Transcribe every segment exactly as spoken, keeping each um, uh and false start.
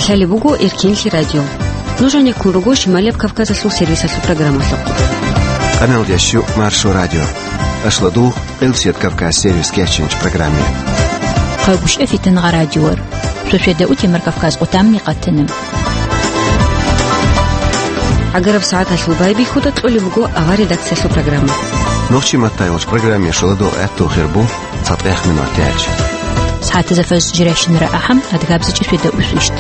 Гьале буго Эркенлъи радио. Нуж гьанеккун руго Шималияб Кавказалъул сервисалъул программалъухъ. Къаналдящу Маршо радио. Ашладугъ Къилсият Кавказ сервис кечинч программе. Къайгъушев Фитангъа радиор. Шошеда утемар Кавказ къутамни къатана. Агараб сагӀаталъул байбихьуда кьолеб буго авар редакциялъул программа. Нохчи маттайгъулч программе шоладугъ гӀатту хирбу. ЦатӀехъ минутач. СагӀатазда фажр жирайщинара ахӀам, адгабзичӀеб шеда усвищт.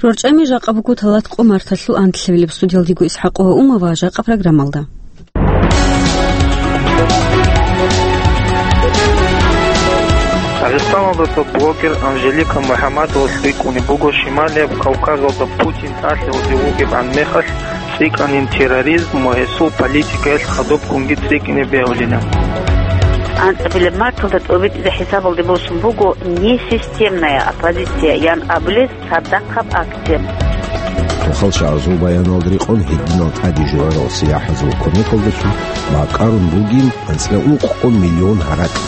РорчӀами жакъа буго талат къо марталъул анлъабилеб. Студиялдего ИсхӀакъова Ума ва жакъа программалда. Дагъистаналдаса блогер Анжелика МухӀаммадова лъикӀунеб буго Шималияб Кавказалда Путин тӀалъиялде вугебгӀан мехалъ, цӀикӀкӀанин терроризм ва гьесул политикаялъ хадубккунги цӀикӀкӀине бегьулина. АнцӀабилеб марталда тӀобитӀизе хӀисабалде босун буго несистемная оппозиция ян абулес цадахъаб акция. Тухал шагьазул баяналда рекъон гьединал тӀаде жугьарал сияхӀазул кумекалдалъун бакӀарун бугин анцӀила ункъо миллион гьаракь.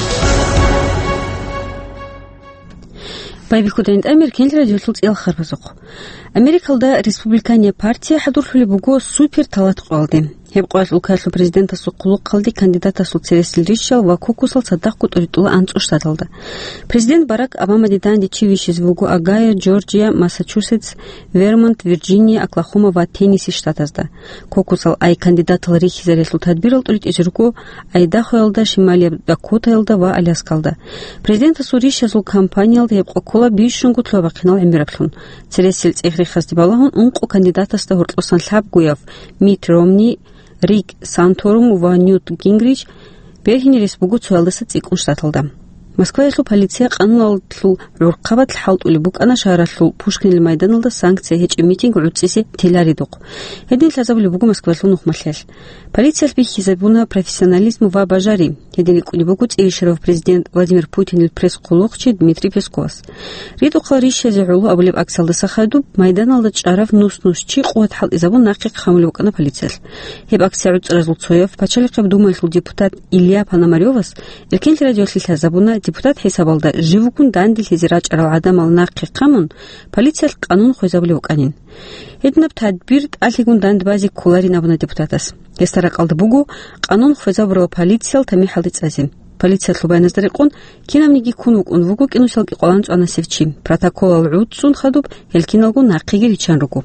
Байбихьуда гьанже Эркенлъи радиолъул цӀиял харбазухъ. Америкалда республиканиял партия хӀадурлъулеб буго супер талат къоялде. Гьеб къоялъ улкаялъул президентасул хъулухъалде кандидатасул цересел рищал ва кокусал цадахъго тӀуритӀула анцӀго штаталда. Президент Барак Обамаде данде чи вищизе вуго Огайо, Джорджия, Массачусетс, Вермонт, Вирджиния, Оклахома ва Теннесси штатазда. Кокусал ай кандидатал рихьизарелъул тадбирал тӀуритӀизе руго Айдахоялда, Шималияб Дакотаялда ва Аляскалда. Президентасул рищазул кампаниялда гьеб къо ккола бищунго лъугьа-бахъинал гӀемераблъун. Цересел цӀех-рехазде балагьун ункъо кандидатасда гьоркьосан лъабгояв Митт Ромни, Рик Санторум ва Ньют Гингрич бергьине рес буго цоялдаса цӀикӀкӀун штаталда. Москваялъул полиция къануналъул гӀурхъабазда хӀалтӀулеб букӀана шагьаралъул Пушкинил майданалда санкция гьечӀеб митинг гӀуцӀизе теларидухъ. Гьедин лъазабулеб буго Москваялъул нухмалъиялъ. Полициялъ бихьизабуна профессионализм ва бажари. Гьедин рикӀкӀунеб буго цӀирищарав президент Владимир Путинил пресс-хъулухъчи Дмитрий Песковас. Ридухъал рищазе гӀоло абулеб акциялдаса хадуб майданалда чӀарав нус-нус чи къуват хӀалтӀизабун нахъе хъамулев вукӀана полициялъ. Гьеб акция гӀуцӀаразул цояв, Пачалихъаб Думаялъул депутат Илья Пономарёвас Эркенлъи радиолъе лъазабуна депутат хӀисабалда жив вугун данделъизе рачӀарал гӀадамал нахъе хъамун, полициялъ къанун хвезабулев вукӀанин. Гьединаб тадбир тӀалъигун данде базе кколарин абуна депутатас. Гьесда ракӀалда буго къанун хвезабурал полициял тамихӀалде цӀазе. Полициялъул баяназда рекъон, кинабниги ккун вукӀун вуго кӀинусиялги къваланцӀванасев чи. Протоколал гӀуцӀцӀун хадуб, гьел киналго нахъеги риччан руго.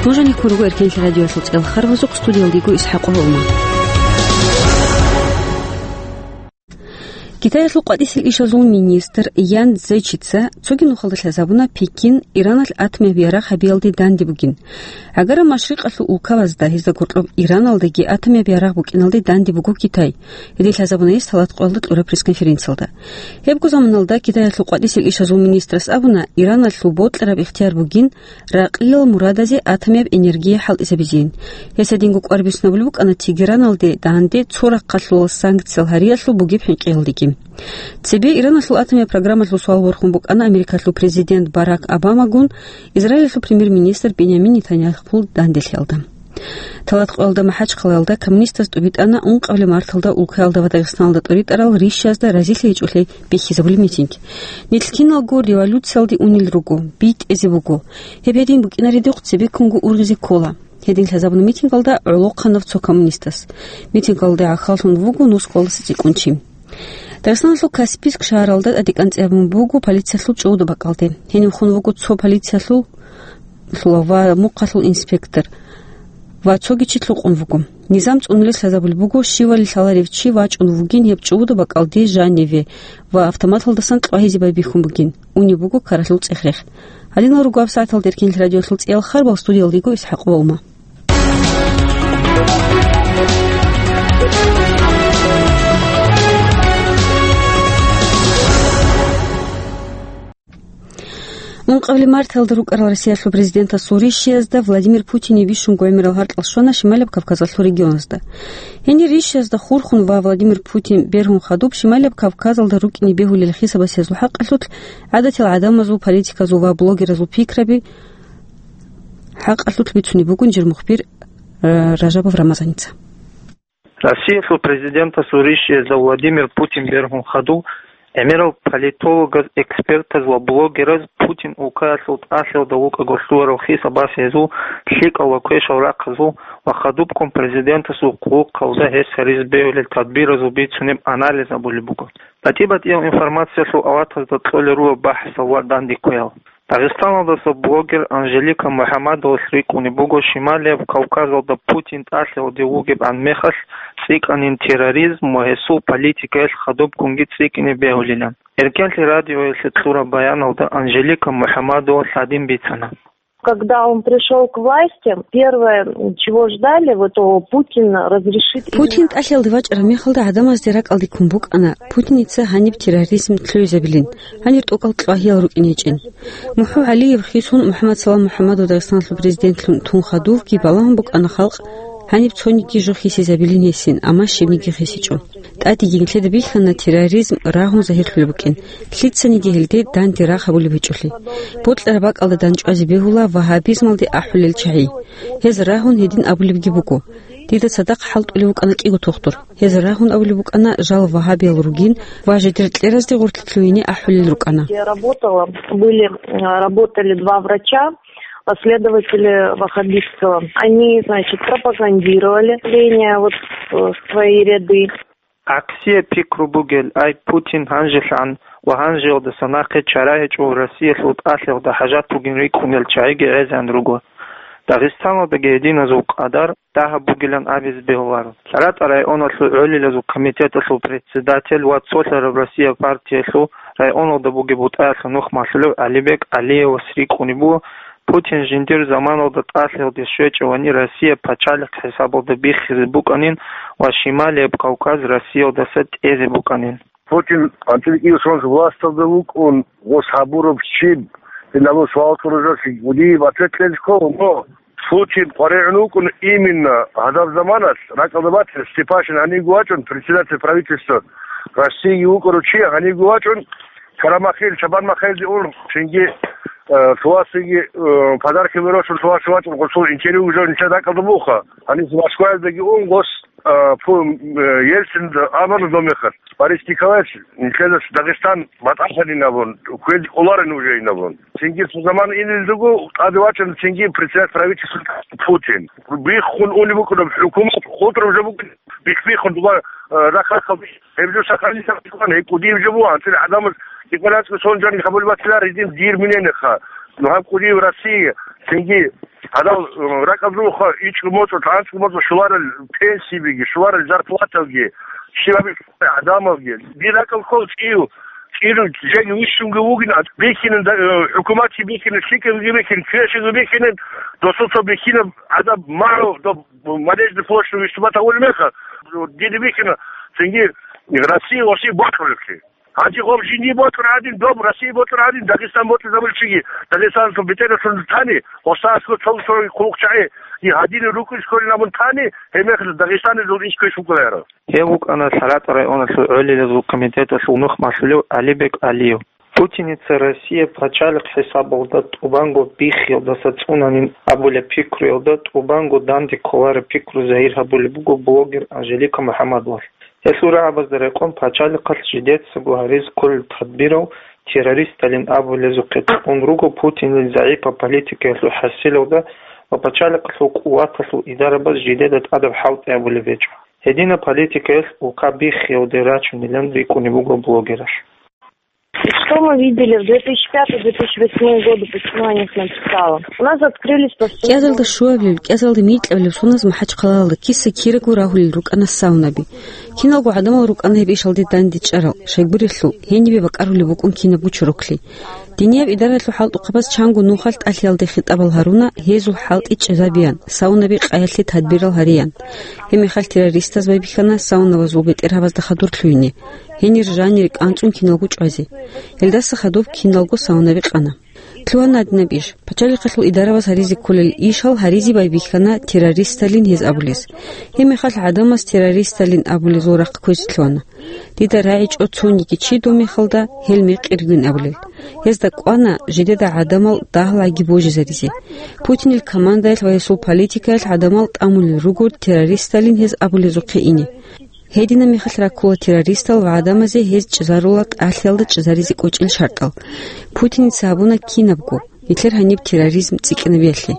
Нуж гьанеккун руго Эркенлъи радиоялъул цӀиял харбазухъ, студиялдего ИсхӀакъова Ума. Китаялъул къватӀисел ишазул министр Ян Цзечица цоги нухалда лъазабуна Пекин Ираналъ атомияб ярагъ гьабиялде данде бугин. Гьагара машрикъалъул улкабазда, гьезда гьоркьоб Ираналдаги атомияб ярагъ букӀиналде данде буго Китай. Гьедин лъазабуна гьес талат къоялда кьураб пресс-конференциялда. Гьебго заманалда Китаялъул къватӀисел ишазул министрас абуна, Ираналъул бокьараб ихтияр бугин ракъиял мурадазе атомияб энергия хӀалтӀизабизейин. Гьес гьединго кӀвар бицунабулеб букӀана Тегераналде данде цо рахъалъулал санкциял гьариялъул бугеб хӀинкъиялдеги. Цебе Ираналъул атомияб программалъул суал борхун букӀана Америкалъул президент Барак Обамагун Израилалъул премьер-министр Бенямин Нетаньяхул данделъиялда. Талат къоялда МахӀачхъалаялда коммунистаз тӀубитӀана ункъабилеб марталда улкаялда ва Дагъистаналда тӀуритӀарал рищазда разилъи гьечӀолъи бихьизабулеб митинг. Нилъ киналго революциялде унел руго, битӀизе буго. Гьеб гьедин букӀинаридухъ цебеккунго ургъизе ккола. Гьедин лъазабуна митингалда гӀолохъанав цо коммунистас. Митингалде гӀахьаллъун вуго нусгоялдаса цӀикӀкӀун чи. Дагъистаналъул Каспийск шагьаралда тӀадекӀанцӀи гьабун буго полициялъул чӀужуду бакӀалде. Гьенив хун вуго цо полициялъул ва мухъалъул инспектор ва цоги чи лъукъун вуго. Низам цӀунулес лъазабулеб буго, щивали лъаларев чи вачӀун вугин гьеб чӀужуду бакӀалде жаниве ва автоматалдасан кьвагьизе байбихьун бугин. Унеб буго ккаралъул цӀех-рех. Гьадинал руго гьаб сагӀаталда Эркенлъи радиоялъул цӀиял харбал, студиялдего ИсхӀакъова Ума. Ункъабилеб марталда рукӀарал Россиялъул президентасул рищиязда Владимир Путинив бищунго гӀемерал гьаркьал щвана Шималияб Кавказалъул регионазда. Гьенир рищиязда хурхун ва Владимир Путин бергьун хадуб Шималияб Кавказалда рукӀине бегьулел хисабасезул хӀакъалъулъ гӀадатил гӀадамазул, политиказул ва блогеразул пикраби хӀакъалъулъ бицунеб бугин жир мухбир, э, Ражабов Рамазаница. Россиялъул президентасул ришиязда Владимир Путин бергьун хадув, гӀемерал политологаз, экспертаз ва блогераз Путин улкаялъул тӀалъиялда вукӀаго лъугьарал хисабас гьезул лъикӀал ва квешал рахъазул ва хадубккун президентасул хъулухъалда гьес гьаризе бегьулел тадбиразул бицунеб анализ гьабулеб буго. БатӀи-батӀиял информациялъул аватазда кьолел руго бахӀсал ва дандекквеял. Дагъистаналдаса блогер Анжелика МухӀамадовалъ рикӀкӀунеб буго Шималияб Кавказалда Путин тӀалъиялде вугебгӀан мехалъ цӀикӀкӀанин терроризм ва гьесул политикаялъ хадубккунги цӀикӀкӀине бегьулилан. Эркенлъи радиоялъе кьураб баяналда Анжелика МухӀамадовалъ гьадин бицана: Когда он пришёл к власти, первое, чего ждали, вот, о, Путин разрешит именно Путин тӀалъиялде вачӀараб мехалда гӀадамазде ракӀалде ккун букӀана Путиница гьаниб терроризм лъугӀизабилин, гьанир тӀокӀал кьвагьиял рукӀине гьечӀин. МухӀу ГӀалиев хисун МухӀаммад Салам МухӀаммадов Дагъистаналъул президентлъун тун хадувги балагьун букӀана халкъ гьаниб цониги жо хисизабилин гьесин, амма щибниги хисичӀо. ТӀадеги нилъеда бихьана терроризм рагьун загьирлъулеб букӀин, лъицаниги гьелде данде рагъ гьабулеб гьечӀолъи. Бокьараб бакӀалда дандчӀвазе бегьула вагьабизмалде ахӀулел чагӀи. Гьез рагьун гьедин абулебги буго: «Дида цадахъ хӀалтӀулев вукӀана кӀиго тухтур. Гьез рагьун абулеб букӀана жал вагьабиял ругин ва жидер кьеразде гъорлъ лъугьине ахӀулел рукӀана». Я работала, были, э, работали два врача, последователи ваххабистского. Они, значит, пропагандировали ление вот, э, в свои ряды. Аксия пикру бугел, ай, Путин гьанжелъан ва гьанжеялдаса нахъе чара гьечӀо Россиялъул тӀалъиялда хӀажат бугин рикӀкӀунел чагӀиги гӀезегӀан руго. Дагъистаналдаги гьединазул къадар дагьаб бугилан абизе бегьуларо. ЛъаратӀа районалъул гӀолилазул комитеталъул председатель ва цолъараб Россия партиялъул районалда бугеб БутӀаялъул нухмалъулев ГӀалибек ГӀалиевас рикӀкӀунеб буго, Путин жиндир заманалда тӀалъиялде щвечӀевани Россия пачалихъ хӀисабалда биххизе букӀанин ва Шималияб Кавказ Россиялдаса тӀезе букӀанин. Путин анцӀила кӀиго сон власталда вукӀун, гъос гьабураб щиб, гьелъул суал кьуралъе гьудияб ответ кьезе ккола, но Путин къваригӀун вукӀун именно гьадаб заманалъ, ракӀалда батила, Степашин гьанивго вачӀун, председатель правительства Россииги вукӀарав чи гьанивго вачӀун, Карамахил, Чабан Махаилде ун, цинги, э, Лъугьасиги, э, подарки берошун Лъугьасе вачӀун, гъосул интервью уже нилъер ракӀалда буха. Гьанив Москваялдаги ун, гъос, э, пу-, э, Ельцин амарла дов мехалъ, Борис Николаевич, нилъеда Дагъистан батӀалъанин абун, кквезе кӀоларин уже ин абун. Цинги цо заман инел руго, тӀаде вачӀана цинги председатель правительства Путин. Биххун унеб букӀунеб хӀукумат, хутӀраб жо букӀун, бихбиххун дуба, э, рахъ-рахъалде. Гьеб жо сахарилъун гьеб кӀудияб жо буго, анцӀила гӀадамаз кӀикъоялда сон жаниб гьабулеб батила гьедин дир минениха. Ну, гьаб кӀудияб Россия, цинги гьадал, э, ракӀалда руго ичӀго моцӀалъ, анцӀго моцӀалъ щоларел пенсиябиги, щоларел зарплаталги, щибаб гӀадамалги. Дир ракӀалда ккола цӀив, цӀиру жеги вищунги вугин, бихьинин, э, хӀукуматги бихьинин, лъикӀабиги бихьинин, квешиги бихьинин, досуца бихьинаб гӀадаб магӀу, доб Надежда площадь выступать гьавулеб мехалъ, дида бихьана, цинги Россия, Россия бокьулеблъи. Гьанже гъоб жиндие бокьун гӀадин, доб Россия бокьун гӀадин, Дагъистан бокьизабулев чиги, Дагъистаналъул бетӀералъун тани, гъосда аскӀов цо-цо хъулухъчагӀи, и гьадинаб рукӀин кколин абун тани, гьеб мехалъ Дагъистаналъул иш кквеш букӀуларо. Гьев вукӀана ЛъаратӀа районалъул гӀолилазул комитеталъул нухмалъулев ГӀалибек ГӀалиев. Путиница Россия пачалихъ хӀисабалда тӀубанго биххиялдаса цӀунанин абулеб пикруялда тӀубанго данде кколареб пикру загьир гьабулеб буго блогер Анжелика МухӀаммадовалъ. Гьелъул рагӀабазда рекъон пачалихъалъ жидецаго гьаризе кколел тадбирал террористалин абулезухъе кьун руго Путинил загӀипаб политикаялъул хӀасилалда ва пачалихъалъул къуваталъул идарабаз жидеда тӀадаб хӀалтӀи гьабулеб гьечӀо. Гьединаб политикаялъ улка биххиялде рачунилан рикӀкӀунеб буго блогералъ. Что мы видели в две тысячи пятый — две тысячи восьмой годы, почему я о них написала? У нас открылись повсеместные КӀиазалда щуабилеб, кӀиазалда микьабилеб соназ МахӀачхъалаялда киса-кираго рагьулел рукӀана саунаби. Киналго гӀадамал рукӀана гьеб ишалде дандечӀарал, щайгурелъул, гьенибе бакӀарулеб букӀун кинабго чороклъи. Динияб идаралъул хӀалтӀухъабаз чанго нухалъ тӀалъиялде хитӀабал гьаруна, гьезул хӀалтӀи чӀезабеян, саунаби къаялъе тадбирал гьареян. Гьеб мехалъ террористаз байбихьана саунабазул бетӀергьабазда хадур лъугьине, гьенир жанире кӀанцӀун киналго чӀвазе. Гьелдаса хадуб киналго саунаби къана. Лъугьана гьадинаб иш. Пачалихъалъул идараваз гьаризе кколел ишал гьаризе байбихьана террористалин гьез абулес. Гьебмехалъ гӀадамаз террористалин абулезул рахъ кквезе лъугьана. Дида рагӀичӀо цониги чи дов мехалда гьел мекъи ругин абулел. Гьезда кӀвана жидеда гӀадамал дагьлаги божизаризе. Путинил командаялъ ва гьесул политикаялъ гӀадамал тӀамулел руго террористалин гьез абулезухъе ине. Гьединаб мехалъ раккула террористал ва гӀадамазе гьез чӀезарула тӀалъиялда чӀезаризе кӀочӀел шартӀал. Путиница гьабуна кинабго, нилъер гьаниб терроризм цӀикӀкӀинабиялъе.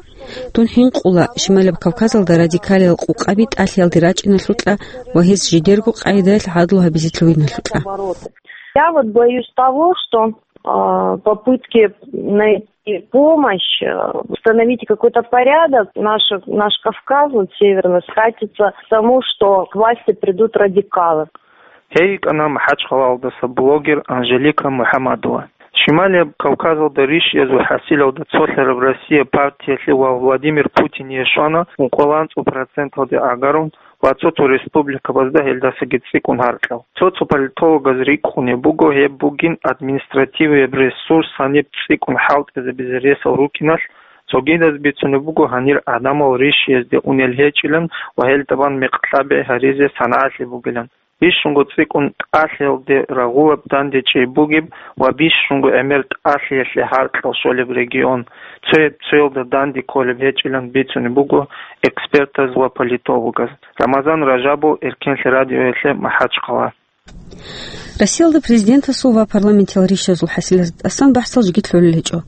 Дун хӀинкъула Шималаб Кавказалда радикалиял къукъаби тӀалъиялде рачӀиналъукьа ва гьез жидерго къагӀидаялъ гӀадлу гьабизе лъугьиналъукьа. Я вот боюсь того, что, а, попытки найти помощь, э, установить какой-то порядок, наш, наш Кавказ, вот северный, скатится к тому, что к власти придут радикалы. Гьей йикӀана МахӀачхъалаялдаса блогер Анжелика МухӀамадова. Шималияб Кавказалда ришиязул хӀасилалда цолъараб Россия партиялъе ва Владимир Путине щвана ункъоялда анцӀго проценталде гӀагарун ва цо-цо республикабазда гьелдасаги цӀикӀкӀун гьаркьал. Цо-цо политологаз рикӀкӀунеб буго гьеб бугин административияб ресурс гьаниб цӀикӀкӀун хӀалтӀизабизе ресал рукӀиналъ, цогидаз бицунеб буго гьанир гӀадамал ришиязде унел гьечӀилан ва гьелда бан мекъи лъабе гьаризе санагӀалъи бугилан. Бищунго цӀикӀкӀун тӀалъиялде рагъулаб дандечӀей бугеб ва бищунго гӀемер тӀалъиялъе гьаркьал щолеб регион, цояб-цоялда данде кколеб гьечӀилан бицунеб буго экспертаз ва политологаз. Рамазан Ражабов, Эркенлъи радиоялъе, МахӀачхъала. Россиялда президентасул ва парламентиял ришазул хӀасилазда тӀасан бахӀсал жеги лъолел гьечӀо.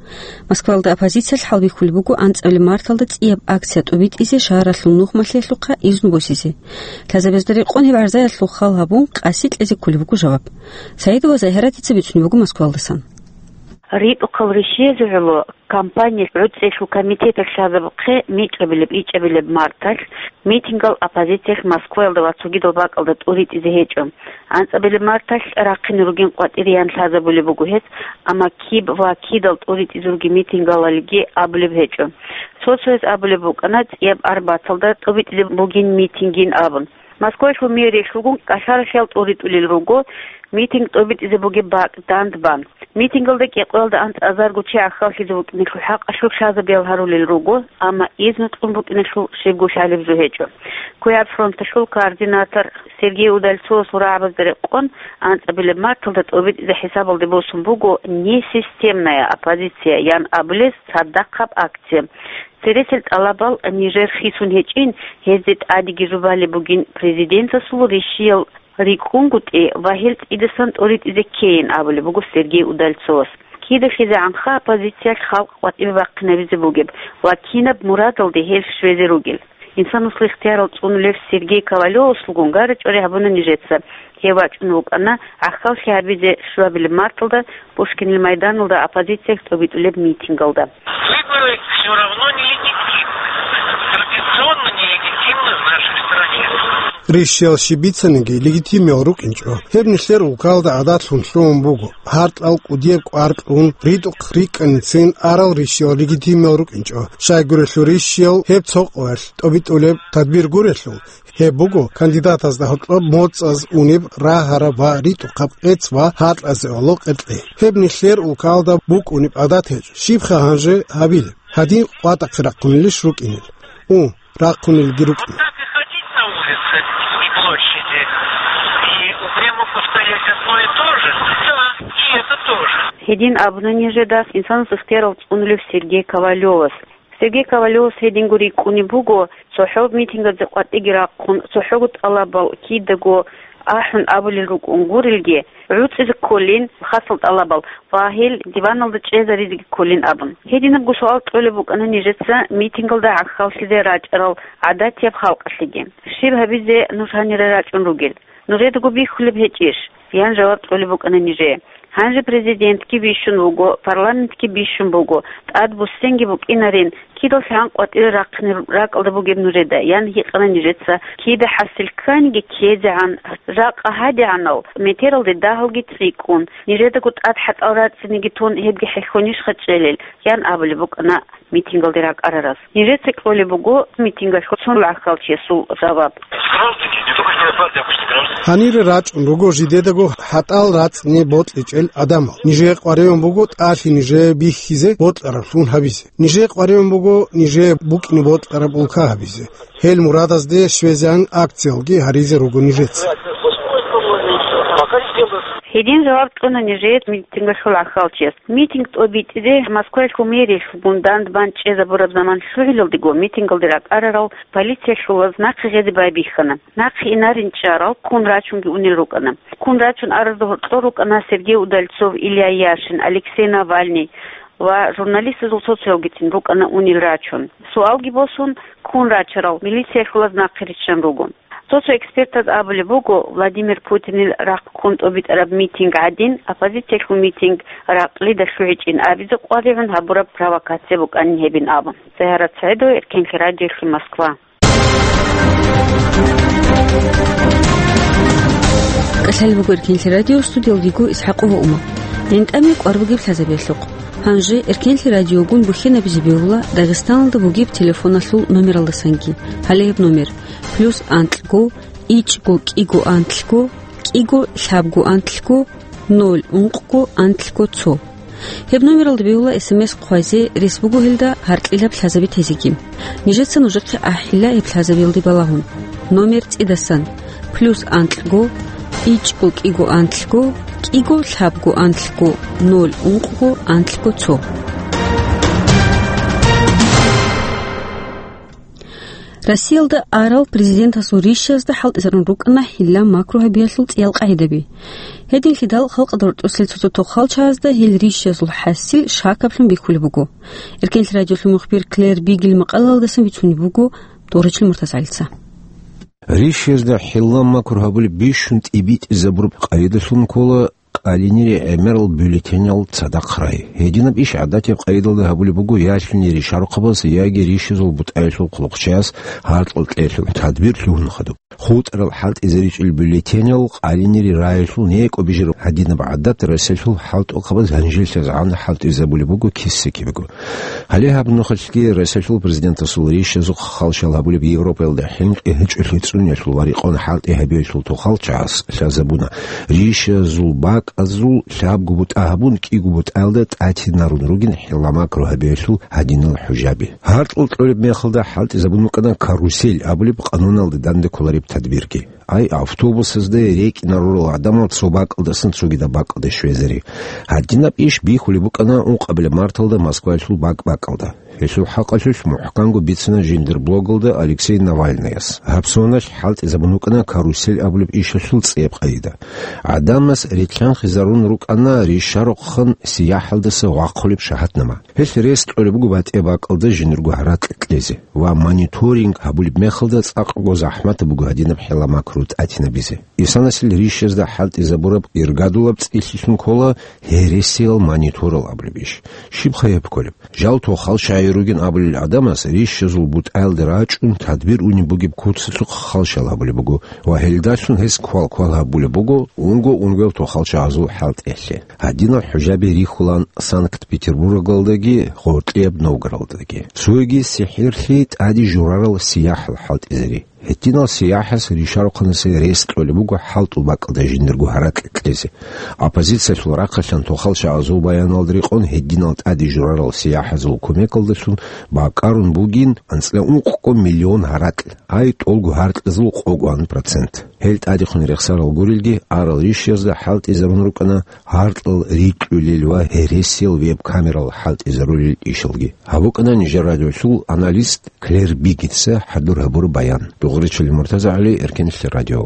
Москваялда оппозициялъ хӀалбихьулеб буго анцӀабилеб марталда цӀияб акция тӀобитӀизе шагьаралъул нух малъиялъухъа изну босизе. Лъазабазда рекъон гьеб гӀарзаялъул хал гьабун, къаси кьезе кколеб буго жаваб. Саидова Загьиратица бицунеб буго Москвалдасан. РитӀухъал ришизе гӀоло кампания гӀуцӀелъул комитеталъ лъазабухъе микьабилеб-ичӀабилеб марталъ митингал оппозициялъ Москваялда ва цогидал бакӀалда тӀуритӀизе гьечӀо. АнцӀабилеб марталъ рахъине ругин къватӀириян лъазабулеб буго гьез, амма киб ва кидал тӀуритӀизе ругин митингалалги абулеб гьечӀо. Цо-цояз абулеб букӀана цӀияб арбаталда тӀубитӀизе бугин митингин абун. Москвалъул мэриялъулгун кӀалъаралъиял тӀуритӀулел руго митинг тӀобитӀизе бугеб бакӀ дандбан. Митингалда кӀикъоялда анцӀазарго чи гӀахьаллъизе букӀиналъул хӀакъалъулъ лъазабиял гьарулел руго, амма изну кьун букӀиналъул щибго лъалеб жо гьечӀо. КуьягӀ фронталъул координатор Сергей Удальцовасул рагӀабазда рекъон, анцӀабилеб марталда тӀобитӀизе хӀисабалде босун буго несистемная оппозиция ян абулес цадахъаб акция. Цересел тӀалабал нижер хисун гьечӀин, гьезде тӀадеги жубалеб бугин президентасул ришиял рикӀкӀунгутӀи ва гьел цӀидасан тӀуритӀизе ккейин абулеб буго Сергей Удальцовас. КидахизегӀанха оппозициялъ халкъ къватӀибе бахъинабизе бугеб ва кинаб мурадалде гьел щвезе ругел. Инсанасул ихтиярал цӀунулев Сергей Ковалёвасулгун гара-чӀвари гьабуна нижеца. Гьев вачӀун вукӀана гӀахьаллъи гьабизе щуабилеб марталда Пушкинил майданалда оппозициялъ тӀобитӀулеб митингалда. Выборы всё равно нелегитимны. Традиционно нелегитимны в нашей стране. Ришиял щиб бицаниги легитимиял рукӀинчӀо. Гьеб нилъер улкалда гӀадатлъун лъугьун буго. Гьаркьал кӀудияб кӀвар кьун, ритӀухъ рикӀкӀанин арал ришиял легитимиял рукӀинчӀо. Щайгурелъул ришиял гьеб цо къоялъ тӀобитӀулеб тадбир гурелъул, гьеб буго кандидатазда гьоркьоб моцӀаз унеб рагьараб ва ритӀухъаб къец ва гьаркьазе гӀоло къеркьей. Гьеб нилъер улкалда букӀунеб гӀадат гьечӀо. Щибха гьанже гьабилеб? Гьадин къватӀахъе рахъунилищ рукӀинел? У, рахъунилги рукӀин. Так и ходить на улице и площади, и упрямо повторять одно и то же. Да, и это тоже. Гьедин абуна нижеда, инсанас ихтиярал цӀунулев Сергей Ковалёвас. Сергей Ковалёвас гьединго рикӀкӀунеб буго, цохӀо митингазе къватӀиги рахъун, цохӀого тӀалабал кидаго ахӀун абулел рукӀун гурелги, гӀуцӀизе кколин хасал тӀалабал ва гьел диваналда чӀезаризеги кколин абун. Гьединабго суал кьолеб букӀана нижеца митингалда гӀахьаллъизе рачӀарал гӀадатияб халкъалъеги. Щиб гьабизе нуж гьанире рачӀун ругел? Нужедаго бихьулеб гьечӀищ? Ян жаваб кьолеб букӀана нижее. Гьанже президентги бищун вуго, парламентги бищун буго, тӀад буссинги букӀинарин, кидал лъан къватӀире рахъине ракӀалда бугеб нужеда, ян гьикъана нижеца, кида хӀасил кканиги ккезегӀан, жакъа гьадигӀанал метералде дагьалги цӀикӀкӀун, нижедаго тӀад хӀатӀал рацӀцӀиниги тун гьебги хӀехьонищха чӀелел, ян абулеб букӀана митингалде ракӀарарас. Нижеца кьолеб буго митингалъ цо гӀахьалчиясул жаваб. Гражданин, не только члены партии, обычный гражданин. Гьанире рачӀун руго жидедаго хӀатӀал рацӀцӀине бокьичӀел гӀадамал. Нижее къваригӀун буго тӀалъи нижее бихьизе бокьараблъун гьабизе. Нижее къваригӀун буго нижее букӀине бокьараб улка гьабизе. Гьел мурадазде щвезегӀан акциялги гьаризе руго нижеца. Гьедин жаваб кьуна нижее митингалъул гӀахьалчияс. Митинг тӀобитӀизе Москваялъул мэриялъ бундандбан чӀезабураб заман лъугӀиналдего митингалде ракӀарарал полициялъул нахъе гъезе байбихьана. Нахъе инарин чӀарал ккун рачунги унел рукӀана. Ккун рачун аразда гьоркьор рукӀана Сергей Удальцов, Илья Яшин, Алексей Навальный ва журналистазул цо-цоялгицин рукӀана унел рачун. Суалги босун, ккун рачарал милициялъулаз нахъе риччан руго. Цо-цо экспертаз абулеб буго, Владимир Путинил рахъ ккун тӀобитӀараб митинг гӀадин, оппозициялъул митинг ракълида лъугӀичӀин абизе къваригӀун гьабураб провокация букӀанин гьебин абун. Загьарат СагӀидова, Эркенлъи радиолъи, Москва. КӀалъалеб буго Эркенлъи радио, студиялдего ИсхӀакъова Ума. ГӀинтӀаме кӀвар бугеб лъазабиялъухъ. Гьанже Эркенлъи радиогун бухьенабизе бегьула Дагъистаналда бугеб телефоналъул номералдасанги. Гьале гьеб номер: плюс анкьго, ичӀго кӀиго анлъго, кӀиго лъабго анлъго, ноль ункъго анлъго цо. Гьеб номералда бегьула СМС хъвазе, рес буго гьелда гьаркьилаб лъазаби тезеги. Нижеца нужехъе ахӀила гьеб лъазабиялде балагьун. Номер цӀидасан: плюс анкьго, ичӀго кӀиго анлъго, кӀиго лъабго анлъго, ноль ункъго анлъго цо. Россиялда арал президентасул рищазда хӀалтӀизарун рукӀана хӀилла-макру гьабиялъул цӀиял къагӀидаби. Гьединлъидал халкъалда рорчӀосел цо-цо тохалчагӀазда гьел рищазул хӀасил шакаблъун бихьулеб буго. Эркенлъи радиолъул мухбир Клэр Бигел макъалаялдасан бицунеб буго Доричил МуртазагӀалица. Рищазда хӀилла-макру гьабулеб бищун тӀибитӀизабураб къагӀидалъун ккола къалинире гӀемерал бюллетенял цадахъ рай. Гьединаб иш гӀадатияб къагӀидалда гьабулеб буго ялъуни ришарухъабаз яги рищазул бутӀаялъул хъулухъчияс гьаркьал кьеялъул тадбир лъугьун хадуб. ХутӀарал хӀалтӀизаричӀел бюллетенял къалинире раялъул некӀо бижараб гьадинаб гӀадат Россиялъул хӀалтӀухъабаз гьанжелъазгӀан хӀалтӀизабулеб буго киса-кибего. Гьале гьаб нухалъги Россиялъул президентасул рищазухъ халщал гьабулеб Европаялда хӀинкъи гьечӀолъи цӀуниялъул ва рекъон хӀалтӀи гьабиялъул тохалчагӀас лъазабуна, рищазул бакӀазул лъабго бутӀа гьабун, кӀиго бутӀаялда тӀатинарун ругин хӀилла-макру гьабиялъул гьадинал хӀужаби. Гьаркьал кьолеб мехалда хӀалтӀизабун букӀана карусель абулеб къануналда данде кколареб тадбирги. Ай, автобусазда рекӀинарурал гӀадамал цо бакӀалдасан цогидаб бакӀалде щвезари. Гьадинаб иш бихьулеб букӀана ункъабилеб марталда Москваялъул бакӀ-бакӀалда. Гьелъул хӀакъалъулъ мухӀканго бицана жиндир блогалда Алексей Навальныяс. Гьаб соналъ хӀалтӀизабун букӀана карусель абулеб ишалъул цӀияб къагӀида. ГӀадамаз рилълъанхъизарун рукӀана ришарухъан сияхӀалдаса вахъулеб шагьатнама. Гьелъ рес кьолеб буго батӀияб бакӀалда жиндирго гьаракь кьезе ва мониторинг гьабулеб мехалда цӀакъго захӀматаб буго гьадинаб хӀилла-макру тӀатинабизе. Исанасил рищазда хӀалтӀизабураб иргадулаб цӀилъилъун ккола гьересиял мониторал абулеб иш. Щибха гьеб кколеб? Жал тохалчагӀи ругин абулел гӀадамаз рищазул бутӀаялде рачӀун тадбир унеб бугеб куцалъухъ халщал гьабулеб буго ва гьелдалъун гьес квал-квал гьабулеб буго унго-унгоял тохалчагӀазул хӀалтӀиялъе. Гьадинал хӀужаби рихьулаан Санкт-Петербургалдаги гъоркьияб Новгородалдаги. Цоги сихӀирлъи тӀаде журарал сияхӀал хӀалтӀизари. Гьединал сияхӀас ришарухъанасе рес кьолеб буго хӀалтӀул бакӀалда жиндирго гьаракь кьезе. Оппозициялъул рахъалъан тохалчагӀазул баяналда рекъон гьединал тӀаде журарал сияхӀазул кумекалдалъун бакӀарун бугин анцӀила ункъго миллион гьаракь, ай, тӀолго гьаркьазул къого процент. Гьел тӀадехун рехсарал гурелги, арал рищазда хӀалтӀизарун рукӀана гьаркьал рикьулел ва гьересиял веб-камерал хӀалтӀизарулел ишалги. Гьаб букӀана нижер радиолъул аналист Клэр Бигетса хӀадур гьабураб баян. Дугъричил МуртазагӀали, Эркенлъи радио.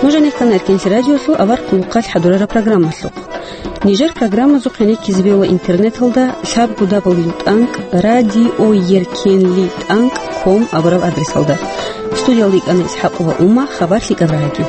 Нуж гьанир ккана Эркенлъи радиолъул авар хъулухъалъ хӀадурараб программалъухъ. Нижер программазухъ гӀенеккизе бегьула интернеталда лъабго дабл ю тӀанкӀ радио еркенлъи тӀанкӀ ком абурал адресалда. Студиялда йикӀана ИсхӀакъова Ума, хабар лъикӀаб рагӀаги.